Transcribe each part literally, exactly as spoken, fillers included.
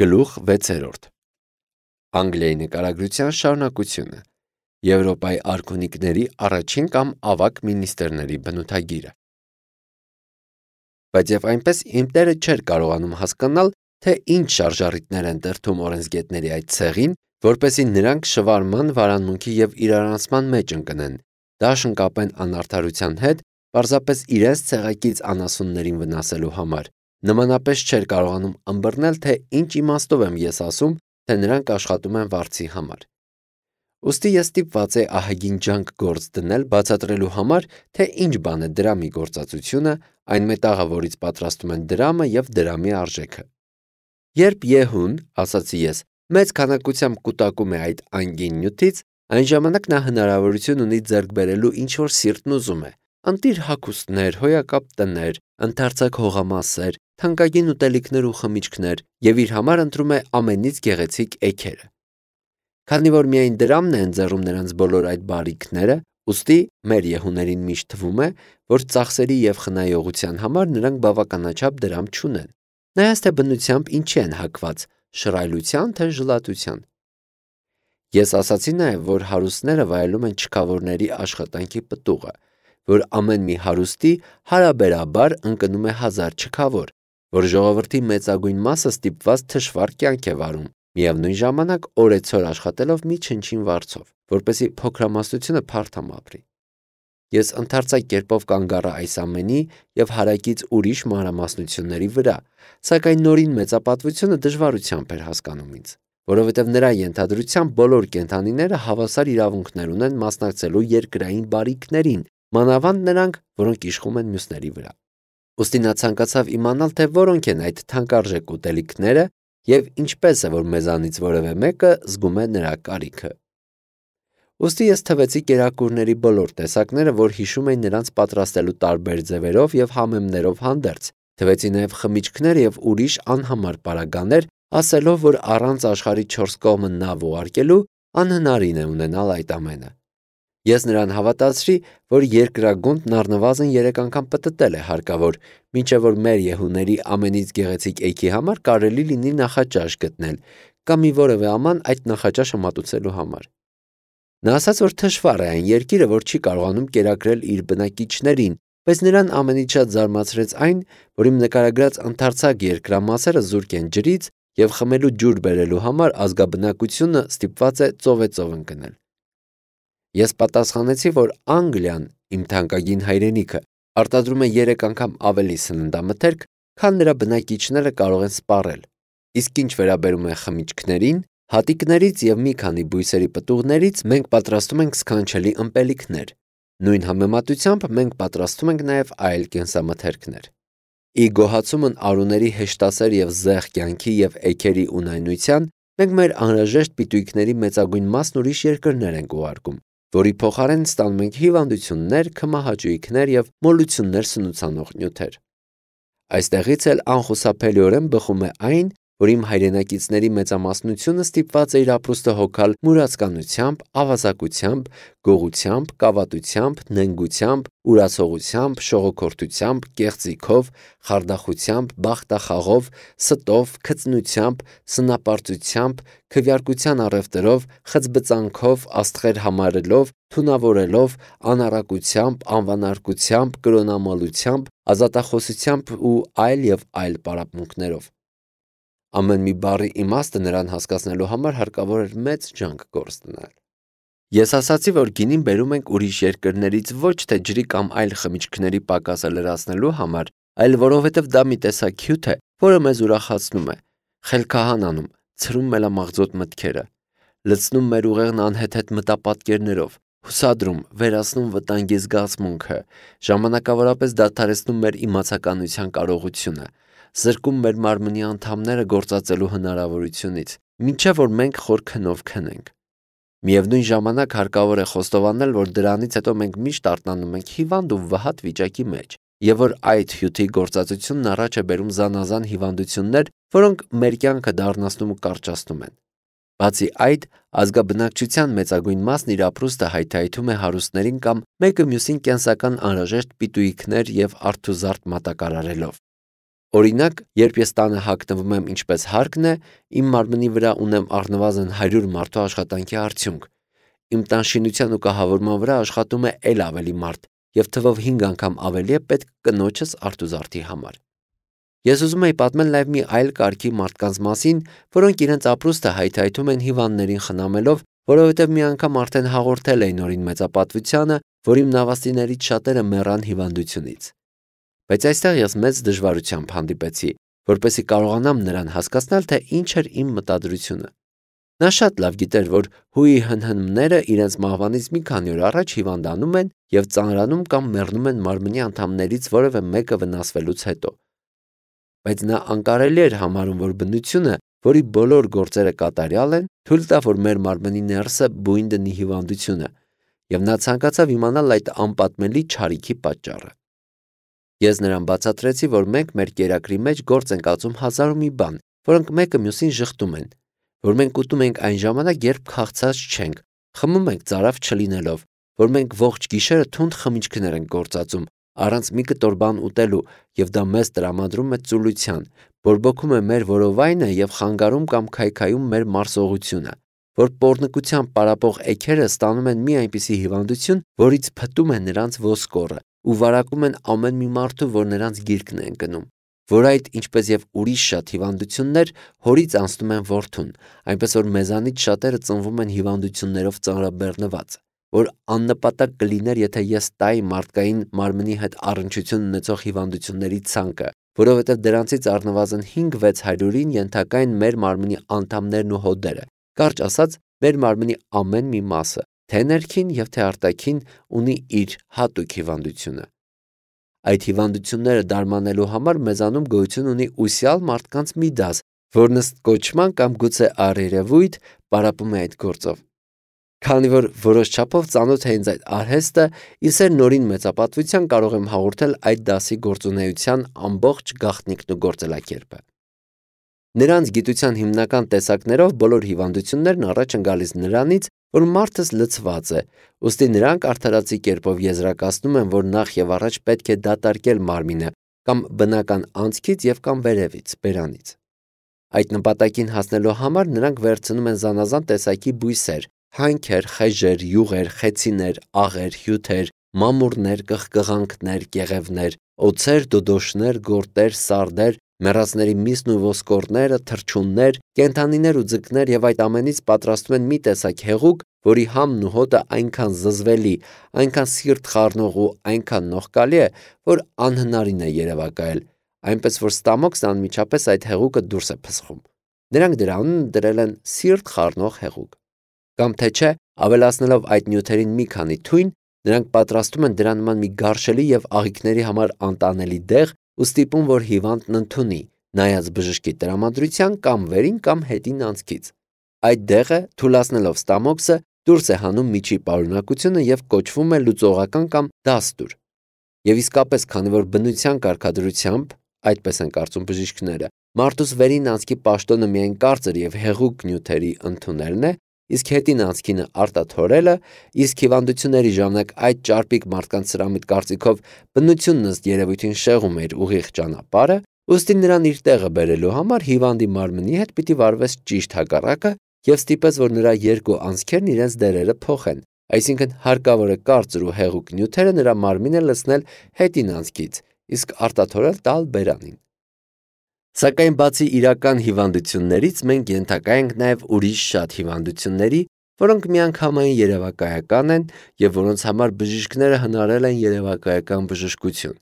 Գլուխ վեցերորդ Անգլիայի նկարագրության շարունակությունը Եվրոպայի արքունիքների առաջին կամ ավագ մինիստրների բնութագիրը Բայց և այնպես իմ տերը չէր կարողանում հասկանալ, թե ինչ շարժառիթներ են դրդում օրենսգետների այդ ցեղին, որպեսզի նրանք շվարման, վարանմունքի և իրարանցման մեջ ընկնեն, դաշն կապեն անարդարության հետ, պարզապես իրենց ցեղակից անասուններին վնասելու համար, նմանապես չէր կարողանում ըմբռնել, թե ինչ իմաստով եմ ես ասում, թե նրանք աշխատում են վարձի համար: Ուստի ես ստիպված էի ահագին ջանք գործ դնել բացատրելու համար, թե ինչ բան է դրամի գործածությունը, այն մետաղը, որից պատրաստում են դրամը և դրամի արժեքը: Երբ Եհուն, ասացի ես, մեծ քանակությամբ կուտակում է այդ անգին նյութից, այն ժամանակ նա հնարավորություն ունի ձեռք բերելու ինչ-որ սիրտն ուզում է, ընտիր հագուստներ, հոյակապ տներ, ընդարձակ հողամասեր, թանկագին ուտելիքներ ու խմիչքներ և իր համար ընտրում է ամենից գեղեցիկ էգերը: Քանի որ միայն դրամն է ընձեռում նրանց բոլոր այդ բարիքները, ուստի մեր Եհուներին միշտ թվում է, որ ծախսերի և խնայողության համար նրանք բավականաչափ դրամ չունեն, նայած թե բնությամբ ինչի են հագված, շռայլության թե ժլատության: Ես ասացի նաև, որ հարուստները վայելում են չքավորների աշխատանքի պտուղը, որ ամեն մի հարուստի հարաբերաբար ընկնում է հազար չքավոր, որ ժողովրդի մեծագույն մասը ստիպված թշվառ կյանք է վարում, միևնույն ժամանակ օրեցօր աշխատելով մի չնչին վարձով, որպեսզի փոքրամասնությունը փարթամ ապրի: Ես ընդարձակ կերպով կանգ առա այս ամենի և հարակից ուրիշ մանրամասնությունների վրա, սակայն նորին մեծապատվությունը դժվարությամբ էր հասկանում ինձ, որովհետև նրա ենթադրությամբ բոլոր կենդանիները հավասար իրավունքներ ունեն մասնակցելու երկրային բարիքներին, մանավանդ նրանք, որոնք իշխում են մյուսների վրա: Ուստի նա ցանկացավ իմանալ, թե որոնք են այդ թանկարժեք ուտելիքները և ինչպես է, որ մեզանից որևէ մեկը զգում է նրա կարիքը: Ուստի ես թվեցի կերակուրների բոլոր տեսակները, որ հիշում էին նրանց պատրաստելու տարբեր ձևերով և համեմներով հանդերձ, թվեցի նաև խմիչքներ և ուրիշ անհամար պարագաներ, ասելով, որ առանց աշխարհի չորս կողմը նավ ուղարկելու անհնարին է ունենալ այդ ամենը: Ես նրան հավատացրի, որ երկրագունդն առնվազն երեք անգամ պտտել է հարկավոր, մինչև որ մեր Եհուների ամենից գեղեցիկ էգի համար կարելի լինի նախաճաշ գտնել կամ մի որևէ աման այդ նախաճաշը մատուցելու համար: Նա ասաց, որ թշվառ է այն երկիրը, որ չի կարողանում կերակրել իր բնակիչներին, բայց նրան ամենից շատ զարմացրեց այն, որ իմ նկարագրած ընդարձակ երկրամասերը զուրկ են ջրից և խմելու ջուր բերելու համար ազգաբնակությունը ստիպված է ծովեծով ընկնել: Ես պատասխանեցի, որ Անգլիան, իմ թանկագին հայրենիքը, արտադրում է երեք անգամ ավելի սննդամթերք, քան նրա բնակիչները կարող են սպառել, իսկ ինչ վերաբերում է խմիչքներին, հատիկներից և մի քանի բույսերի պտուղներից մենք պատրաստում ենք սքանչելի ըմպելիքներ, նույն համեմատությամբ մենք պատրաստում ենք նաև այլ կենսամթերքներ: Ի գոհացումն արուների հեշտասեր և զեղ կյանքի և էգերի ունայնության, մենք մեր անհրաժեշտ պիտույքների մեծագույն մասն ուրիշ երկրներ ենք ուղարկում, որի փոխարեն ստանում ենք հիվանդություններ, քմահաճույքներ և մոլություններ սնուցանող նյութեր: Այստեղից էլ անխուսափելիորեն բխում է այն, որ իմ հայրենակիցների մեծամասնությունը ստիպված է իր ապրուստը հոգալ մուրացկանությամբ, ավազակությամբ, գողությամբ, կավատությամբ, նենգությամբ, ուրացողությամբ, շողոքորթությամբ, կեղծիքով, խարդախությամբ, բախտախաղով, ստով, քծնությամբ, սնապարծությամբ, քվեարկության առևտրով, խցբծանքով, աստղեր համարելով, թունավորելով, անառակությամբ, անվանարկությամբ, կրոնամոլությամբ, ազատախոսությամբ ու այլ և այլ պարապմունքներով: Ամեն մի բառի իմաստը նրան հասկացնելու համար հարկավոր էր մեծ ջանք գործ դնել: Ես ասացի, որ գինին բերում ենք ուրիշ երկրներից ոչ թե ջրի կամ այլ խմիչքների պակասը լրացնելու համար, այլ որովհետև դա մի տեսակ հյութ է, որը մեզ ուրախացնում է, խելքահանանում, ցրում մելամաղձոտ մտքերը, լցնում մեր ուղեղն անհեթեթ մտապատկերներով, հուսադրում, վերացնում վտանգի զգացմունքը, ժամանակավորապես դադարեցնում մեր իմացականության կարողությունը, զրկում մեր մարմնի անդամները գործածելու հնարավորությունից, մինչև որ մենք խոր քնով քնենք: Միևնույն ժամանակ հարկավոր է խոստովանել, որ դրանից հետո մենք միշտ արթնանում ենք հիվանդ ու վհատ վիճակի մեջ և որ այդ հյութի գործածությունն առաջ է բերում զանազան հիվանդություններ, որոնք մեր կյանքը դառնացնում ու կարճացնում են: Բացի այդ, ազգաբնակչության մեծագույն մասն իր ապրուստը հայթայթում է հարուստներին կամ մեկը մյուսին կենսական անհրաժեշտ պիտույքներ և արթուզարդ մատակարարելով: Օրինակ, երբ ես տանը հագնվում եմ ինչպես հարկն է, իմ մարմնի վրա ունեմ առնվազն հարյուր մարդու աշխատանքի արդյունք։ Իմ տան շինության ու կահավորման վրա աշխատում է էլ ավելի մարդ, եւ թվով հինգ անգամ ավելի է պետք կնոջս արտուզարդի համար։ Ես ուզում եի պատմել նաև մի այլ կարգի մարդկանց մասին, որոնք իրենց ապրուստը հայթայթում են հիվանդներին խնամելով, որովհետև մի անգամ արդեն հաղորդել էին օրին մեծապատվությանը, որ իմ նավաստիներից շատերը մեռան հիվանդությունից։ Բայց այստեղ ես մեծ դժվարությամբ հանդիպեցի, որպեսզի կարողանամ նրան հասկացնել, թե ինչ էր իմ մտադրությունը։ Նա շատ լավ գիտեր, որ հույի հնհնմները իրենց մահվանից մի քանի օր առաջ հիվանդանում են եւ ծանրանում կամ մեռնում են մարմնի անդամներից որևէ մեկը վնասվելուց հետո։ Բայց նա անկարելի էր համարում, որ բնությունը, որի բոլոր գործերը կատարյալ են, թույլ տա, որ մեր մարմնի ներսը բույն դնի հիվանդությունը, եւ նա ցանկացավ իմանալ այդ անպատմելի չարիքի պատճառը։ Ես նրան բացատրեցի, որ մենք մեր կերակրի մեջ գործ ենք ածում հազար ու մի բան, որոնք մեկը մյուսին շղթում են, որ մենք ուտում ենք այն ժամանակ, երբ քաղցած չենք, խմում ենք ծարավ չլինելով, որ մենք ողջ գիշերը թունդ խմիչքներ ենք գործածում, առանց մի կտոր բան ուտելու, եւ դա մեզ տրամադրում է ծուլության, բորբոքում է մեր որովայնը եւ խանգարում կամ քայքայում մեր մարսողությունը, որ պոռնկությամբ պարապող էգերը ստանում են մի այնպիսի հիվանդություն, որից փտում է նրանց ոսկորը ու վարակում են ամեն մի մարդու, որ նրանց գիրկն է ընկնում, որ այդ, ինչպես եւ ուրիշ շատ հիվանդություններ, հորից անցնում են որդուն, այնպես որ մեզանից շատերը ծնվում են հիվանդություններով ծանրաբեռնված, որ աննպատակ կլիներ, եթե ես տայի մարդկային մարմնի հետ առնչություն ունեցող հիվանդությունների ցանկը, որովհետև դրանցից առնվազն հինգ-վեց հարյուրին ենթակա են մեր մարմնի անդամներն ու հոդերը, կարճ ասած, մեր մարմնի ամեն մի մասը, թե ներքին եւ թե արտաքին, ունի իր հատուկ հիվանդությունը։ Այդ հիվանդությունները դարմանելու համար մեզանում գոյություն ունի ուսյալ մարդկանց մի դաս, որն ըստ կոչման կամ գուցե առերևույթ պարապում է այդ գործով։ Քանի որ որոշ չափով ծանոթ է ինձ այդ արհեստը, ես էր նորին մեծապատվության կարող եմ հաղորդել այդ դասի գործունեության ամբողջ գաղտնիքն ու գործելակերպը։ Նրանց գիտության հիմնական տեսակներով բոլոր հիվանդություններն առաջ են գալիս նրանից, որ մարդս լցված է, ուստի նրանք արդարացի կերպով եզրակացնում են, որ նախ եւ առաջ պետք է դատարկել մարմինը կամ բնական անցքից եւ կամ վերևից, բերանից։ Այդ նպատակին հասնելու համար նրանք վերցնում են զանազան տեսակի բույսեր, հանքեր, խեժեր, յուղեր, խեցիներ, աղեր, հյութեր, մամուռներ, կղկղանքներ, կեղևներ, օձեր, դոդոշներ, գորտեր, սարդեր, մեռածների միսն ու ոսկորները, թռչուններ, կենդանիներ ու ձկներ եւ այդ ամենից պատրաստում են մի տեսակ հեղուկ, որի համն ու հոտը այնքան զզվելի, այնքան սիրտ խառնող ու այնքան նողկալի է, որ անհնարին է երևակայել, այնպես որ ստամոքսն անմիջապես այդ հեղուկը դուրս է փսխում։ Նրանք դրա անունը դրել են սիրտ խառնող հեղուկ։ Կամ թե չէ, ավելացնելով այդ նյութերին մի քանի թույն, նրանք պատրաստում են դրա նման մի գարշելի եւ աղիքների համար անտանելի դեղ ու ստիպում, որ հիվանդն ընդունի, նայած բժշկի տրամադրության կամ վերին կամ հետին անցքից։ Այդ դեղը, թուլացնելով ստամոքսը, դուրս է հանում միջի պարունակությունը եւ կոչվում է լուծողական կամ դաստուր։ Եվ իսկապես, քանի որ բնության կարգադրությամբ, այդպես են կարծում բժիշկները, մարդուս վերին անցքի պաշտոնը միայն կարծր եւ հեղուկ նյութերի ընդունելն է, իսկ հետին անցքինը արտաթորելը, իսկ հիվանդությունների ժամանակ այդ ճարպիկ մարդկանց սրամիտ կարծիքով բնությունն ըստ երևույթին շեղում էր ուղիղ ճանապարհը, ուստի նրան իր տեղը բերելու համար հիվանդի մարմնի հետ պիտի վարվես ճիշտ հակառակը եւ ստիպես, որ նրա երկու անցքերն իրենց դերերը փոխեն, այսինքն հարկավոր է կարծր ու հեղուկ նյութերը նրա մարմինը լցնել հետին անցքից, իսկ արտաթորել տալ բերանին։ Սակայն բացի իրական հիվանդություններից մենք ենթակա ենք նաև ուրիշ շատ հիվանդությունների, որոնք միանգամայն երևակայական են եւ որոնց համար բժիշկները հնարել են երևակայական բժշկություն։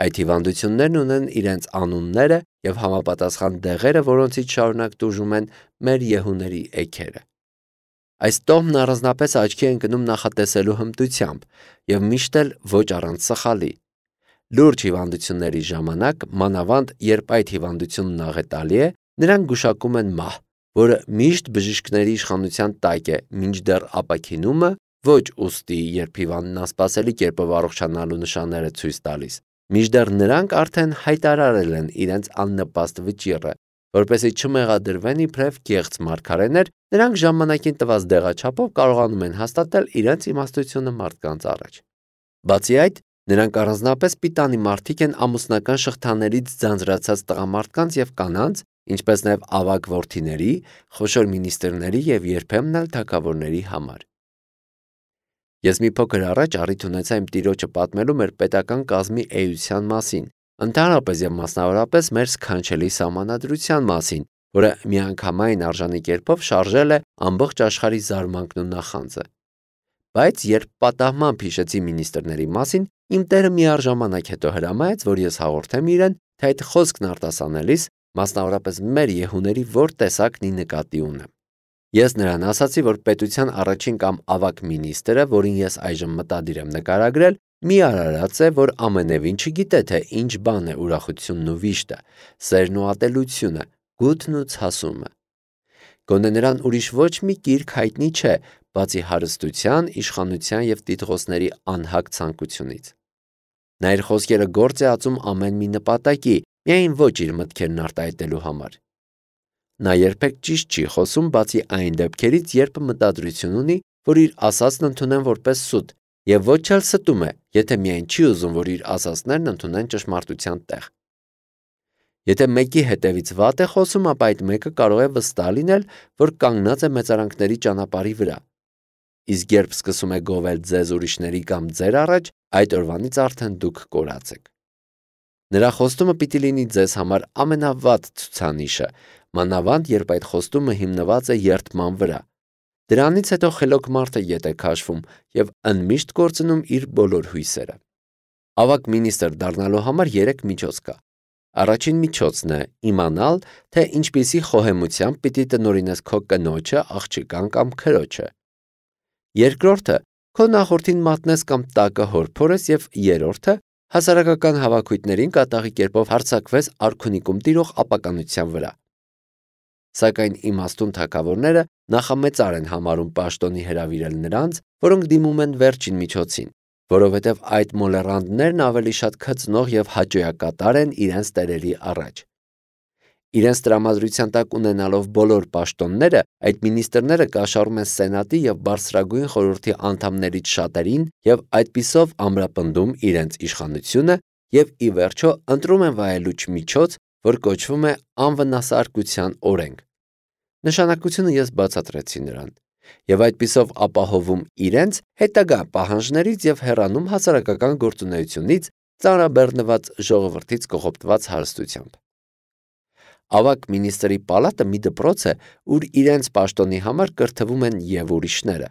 Այդ հիվանդություններն ունեն իրենց անունները եւ համապատասխան դեղերը, որոնցից շարունակ տուժում են մեր եհուների էգերը։ Այս տոհմն առանձնապես աչքի է ընկնում նախատեսելու հմտությամբ եւ միշտ էլ ոչ առանց սխալի։ Լուրջ հիվանդությունների ժամանակ, մանավանդ երբ այդ հիվանդությունն աղետալի է, նրանք գուշակում են մահ, որը միշտ բժիշկների իշխանության տակ է, մինչդեռ ապաքինումը ոչ ուստի, երբ հիվանդն անսպասելի կերպով առողջանալու նշաններ է ցույց տալիս, մինչդեռ նրանք արդեն հայտարարել են իրենց աննպաստ վճիռը, որպեսզի չմեղադրվեն իբրև կեղծ մարգարեներ, նրանք ժամանակին տված դեղաչափով կարողանում են հաստատել իրենց իմաստությունը մարդկանց առաջ։ Բացի այդ, Նրանք առանձնապես պիտանի մարդիկ են ամուսնական շղթաներից ձանձրացած տղամարդկանց եւ կանանց, ինչպես նաեւ ավագ որդիների, խոշոր մինիստրների եւ երբեմն էլ թագավորների համար։ Ես մի փոքր առաջ առիթ ունեցա իմ տիրոջը պատմելու մեր պետական կազմի էության մասին, ընդհանրապես եւ մասնավորապես մեր սքանչելի սահմանադրության մասին, որը միանգամայն արժանի կերպով շարժել է ամբողջ աշխարհի զարմանքն ու նախանձը։ Բայց երբ պատահմամբ հիշեցի մինիստրների մասին, իմ տերը միառժամանակ հետո հրամայեց, որ ես հաղորդեմ իրեն, թե այդ խոսքն արտասանելիս, մասնավորապես մեր եհուների որ տեսակն ի նկատի ունեմ։ Ես նրան ասացի, որ պետության առաջին կամ ավագ մինիստրը, որին ես այժմ մտադիր եմ նկարագրել, մի արարած է, որ ամենևին չգիտե, թե ինչ բան է ուրախությունն ու վիշտը, սերն ու ատելությունը, գութն ու ցասումը։ Գոնե նրան ուրիշ ոչ մի գիրք հայտնի չէ, բացի հարստության, իշխանության եւ տիտղոսների անհագ ցանկությունից։ Նա իր խոսքերը գործ է ածում ամեն մի նպատակի, միայն ոչ իր մտքերն արտահայտելու համար։ Նա երբեք ճիշտ չի խոսում, բացի այն դեպքերից, երբ մտադրություն ունի, որ իր ասածն ընդունեն որպես սուտ, եւ ոչ էլ ստում է, եթե միայն չի ուզում, որ իր ասածներն ընդունեն ճշմարտության տեղ։ Եթե մեկի հետևից վատ է խոսում, ապա այդ մեկը կարող է վստահ լինել, որ կանգնած է մեծարանքների ճանապարհի վրա։ Իսկ երբ սկսում է գովել ձեզ ուրիշների կամ ձեր առաջ, այդ օրվանից արդեն դուք կորած եք։ Նրա խոստումը պիտի լինի ձեզ համար ամենավատ ցուցանիշը, մանավանդ երբ այդ խոստումը հիմնված է երդման վրա։ Դրանից հետո խելոք մարդը ետ է քաշվում եւ ընդմիշտ կորցնում իր բոլոր հույսերը։ Ավագ մինիստր դառնալու համար երեք միջոց կա։ Առաջին միջոցն է իմանալ, թե ինչպիսի խոհեմությամբ պիտի տնօրինես քո կնոջը, աղջկան կամ քրոջը։ Երկրորդը քո նախորդին մատնես կամ տակը հորփորես եւ երրորդը հասարակական հավաքույթներին կատաղի կերպով հարձակվես արքունիկում տիրող ապականության վրա։ Սակայն իմաստուն թագավորները նախամեծար են համարում պաշտոնի հրավիրել նրանց, որոնք դիմում են վերջին միջոցին, որովհետև այդ մոլեռանդներն ավելի շատ քծնող եւ հաճոյակատար են իրենց տերերի առաջ։ Իրենց տրամադրության տակ ունենալով բոլոր պաշտոնները, այդ մինիստրները կաշառում են սենատի եւ բարձրագույն խորհրդի անդամներից շատերին եւ այդպիսով ամրապնդում իրենց իշխանությունը եւ ի վերջո ընտրում են վայելուչ միջոց, որ կոչվում է անվնասարկության օրենք։ Նշանակությունը ես բացատրեցի նրան եւ այդպիսով ապահովում իրենց հետագա պահանջներից եւ հեռանում հասարակական գործունեությունից ծանրաբեռնված ժողովրդից կողոպտված հարստությամբ։ Ավակ մինիստրի պալատը մի դպրոց է, ուր իրենց պաշտոնի համար կրթվում են եւ ուրիշները,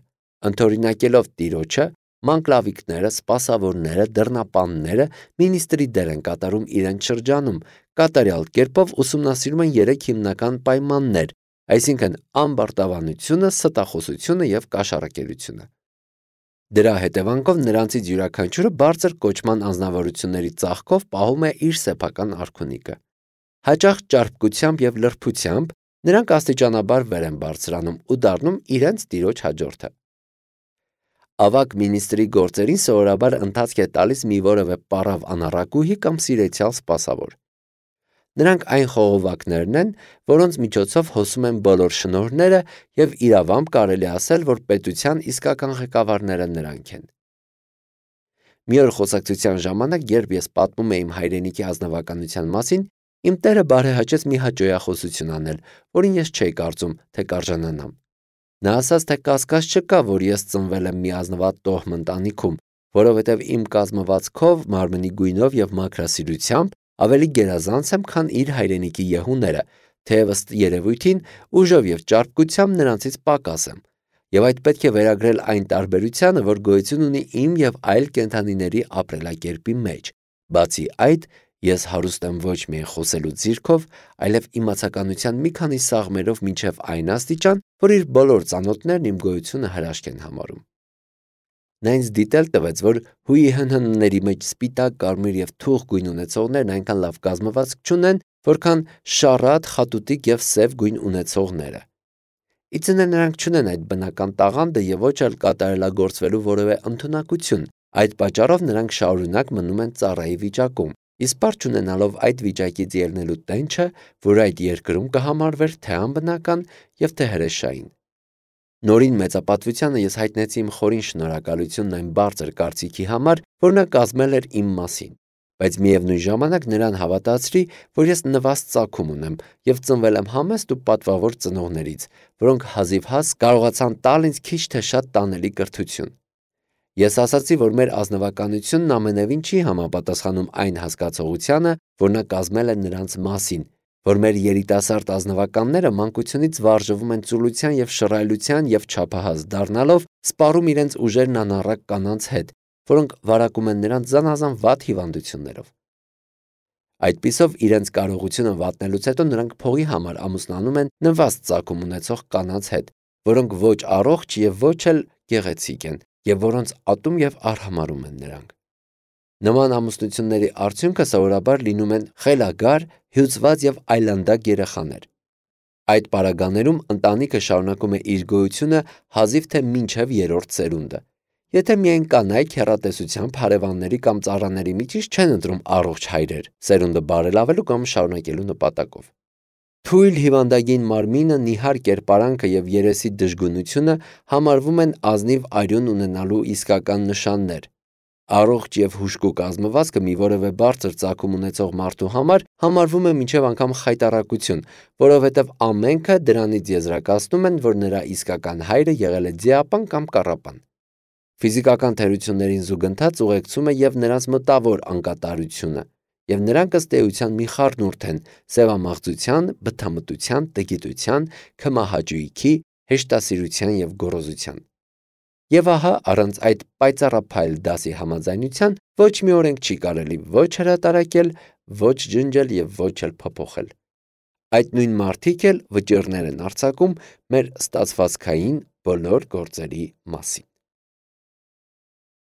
ընդօրինակելով տիրոջը, մանկլավիկները, սպասավորները, դռնապանները մինիստրի դեր են կատարում իրենց շրջանում, կատարյալ կերպով ուսումնասիրում են երեք հիմնական պայմաններ, այսինքն ամբարտավանությունը, ստախոսությունը եւ կաշառակերությունը։ Դրա հետևանքով նրանցից յուրաքանչյուրը բարձր կոչման անձնավորությունների ծաղկով պահում է իր սեփական արքունիկը։ Հաճախ ճարպկությամբ եւ լրբությամբ նրանք աստիճանաբար վեր են բարձրանում ու դառնում իրենց տիրոջ հաջորդը։ Ավակ մինիստրի գործերին սովորաբար ընթացք է տալիս մի որևէ պարավ անառակուհի կամ սիրեցյալ սպասավոր։ Նրանք այն խողովակներն են, որոնց միջոցով հոսում են բոլոր շնորհները եւ իրավամբ կարելի ասել, որ պետության իսկական ղեկավարները նրանք են։ Մի օր խոսակցության ժամանակ, երբ ես պատմում էի իմ հայրենիքի ազնվականության մասին, իմ տերը բարեհաճեց մի հաճոյախոսություն անել, որին ես չէի կարծում, թե կարժանանամ։ Նա ասաց, թե կասկած չկա, որ ես ծնվել եմ մի ազնվատ տոհմ ընտանիքում, որովհետև իմ կազմվածքով, մարմնի գույնով եւ մաքրասիրությամբ ավելի գերազանց եմ, քան իր հայրենիքի եհուները, թեև ըստ երևույթին ուժով եւ ճարպկությամբ նրանցից պակաս եմ, եւ այդ պետք է վերագրել այն տարբերությանը, որ գոյություն ունի իմ եւ այլ կենդանիների ապրելակերպի մեջ։ Բացի այդ, ես հարուստ եմ ոչ միայն խոսելու ձիրքով, այլև իմացականության մի քանի սաղմերով մինչև այն աստիճան, որ իր բոլոր ծանոթներն իմ գոյությունը հրաշք են համարում։ Նա ինձ դիտել տվեց, որ հույի հնհնների մեջ սպիտակ, կարմիր եւ թուխ գույն ունեցողներն այնքան լավ կազմվածք չունեն, որքան շառատ, խատուտիկ եւ սև գույն ունեցողները։ Իցնե նրանք չունեն այդ բնական տաղանդը եւ ոչ էլ կատարելագործվելու որևէ ընդունակություն, այդ պատճառով նրանք շարունակ մնում են ծառայի վիճակում, իսկ բար չունենալով այդ վիճակից ելնելու տենչը, որ այդ երկրում կհամարվեր թե անբնական եւ թե հրեշային։ Նորին մեծապատվությանը ես հայտնեցի իմ խորին շնորհակալությունն այն բարձր կարծիքի համար, որ նա կազմել էր իմ մասին, բայց միևնույն ժամանակ նրան հավատացրի, որ ես նվաստ ծագում ունեմ և ծնվել եմ համեստ ու պատվավոր ծնողներից, որոնք հազիվհազ կարողացան տալ ինձ քիչ թե շատ տանելի կրթություն։ Ես ասացի, որ մեր ազնվականությունն ամենևին չի համապատասխանում այն հասկացողությանը, որ նա կազմել է նրանց մասին, որ մեր երիտասարդ ազնվականները մանկությունից վարժվում են ծուլության և շռայլության և չափահաս դառնալով սպառում իրենց ուժերն անառակ կանանց հետ, որոնք վարակում են նրանց զանազան վատ հիվանդություններով։ Այդպիսով իրենց կարողությունը վատնելուց հետո նրանք փողի համար ամուսնանում են նվաստ ծագում ունեցող կանանց հետ, որոնք ոչ առողջ և ոչ էլ գեղեցիկ են, և որոնց ատում և արհամարհում են նրանք։ Նման ամուսնությունների արդյունքը սովորաբար լինում են խելագար, հյուծված և այլանդակ երեխաներ։ Այդ պարագաներում ընտանիքը շարունակում է իր գոյությունը հազիվ թե մինչև երրորդ սերունդը, եթե միայն կանայք հեռատեսությամբ հարևանների կամ ծառաների միջից չեն ընտրում առողջ հայրեր, սերունդը բարելավելու կամ շարունակելու նպատակով։ Թույլ հիվանդագին մարմինը, նիհար կերպարանքը և երեսի դժգունությունը համարվում են ազնիվ արյուն ունենալու իսկական նշաններ։ Առողջ և հուժկու կազմվածքը մի որևէ բարձր ծագում ունեցող մարդու համար համարվում է մինչև անգամ խայտառակություն, որովհետև ամենքը դրանից եզրակացնում են, որ նրա իսկական հայրը եղել է ձիապան կամ կառապան։ Ֆիզիկական թերություններին զուգընթաց ուղեկցում է և նրանց մտավոր անկատարությունը, և նրանք ըստ էության մի խառնուրդ են սևամաղձության, բթամտության, տգիտության, քմահաճույքի, հեշտասիրության և գոռոզության։ Եվ ահա առանց այդ պայծառափայլ դասի համաձայնության ոչ մի օրենք չի կարելի ոչ հրատարակել, ոչ ջնջել և ոչ էլ փոփոխել։ Այդ նույն մարդիկ էլ վճիռներ են արձակում մեր ստացվածքային բոլոր գործերի մասին։